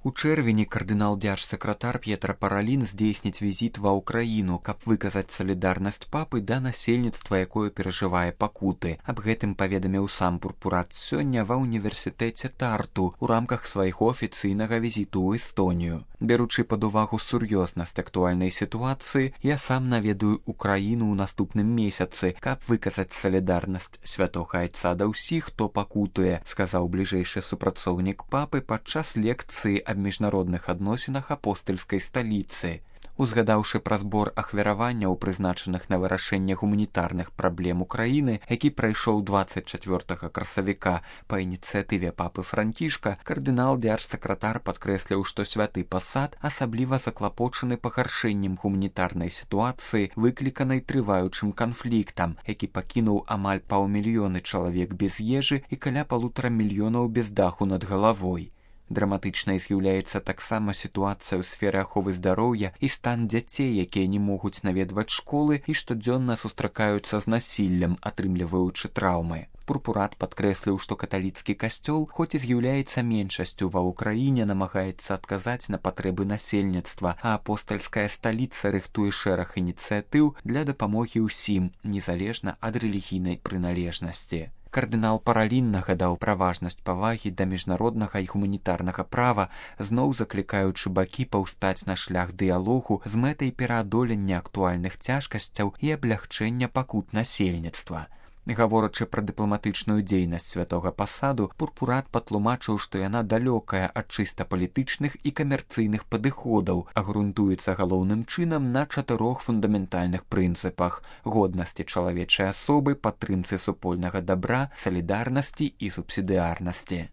У чэрвені кардынал-дзяржсакратар П'етра Паралін здзейсніць візіт ва ўкраіну, каб выказаць салідарнасць папы да насельніцтва, якое перажывае пакуты. Аб гэтым паведаміў сам пурпурат сёння ва ўніверсітэце Тарту ў рамках свайго афіцыйнага візіту ў Эстонію. Беручы пад увагу сур'ёзнасць актуальнай сітуацыі, я сам наведаю ўкраіну ў наступным месяцы, каб выказаць салідарнасць святога айца да ўсіх, хто пакутуе, сказаў бліжэйшы супрацоўнік папы падчас лекцыі аб міжнародных адносінах апостальскай сталіцы. Узгадаўшы пра збор ахвяраванняў, прызначаных на вырашэнне гуманітарных праблем Украіны, які прайшоў 24 красавіка па ініцыятыве папы Францішка, кардынал-дзяржсакратар падкрэсліў, што святы пасад асабліва заклапочаны пагаршэннем гуманітарнай сітуацыі, выкліканай трываючым канфліктам, які пакінуў амаль паўмільёны чалавек без ежы і каля 1,5 мільёнаў без даху над галавой. Драматычнай з'яўляецца таксама сітуацыя ў сферы аховы здароўя і стан дзяцей, якія не могуць наведваць школы і штодзённа сустракаюцца з насіллем, атрымліваючы траўмы. Пурпурат падкрэсліў, што каталіцкі касцёл, хоць і з'яўляецца меншасцю ва ўкраіне, намагаецца адказаць на патрэбы насельніцтва, а апостальская сталіца рыхтуе шэраг ініцыятыў для дапамогі ўсім, незалежна ад рэлігійнай прыналежнасці. Кардынал Паралін нагадаў пра важнасць павагі да міжнароднага і гуманітарнага права, зноў заклікаючы бакі паўстаць на шлях дыялогу з мэтай пераадолення актуальных цяжкасцяў і аблягчэння пакут насельніцтва. Гаворачы пра дыпламатычную дзейнасць святога пасаду, пурпурат патлумачыў, што яна далёкая ад чыста палітычных і камерцыйных падыходаў, а грунтуецца галоўным чынам на 4 фундаментальных прынцыпах: годнасці чалавечай асобы, падтрымцы супольнага дабра, салідарнасці і субсідыарнасці.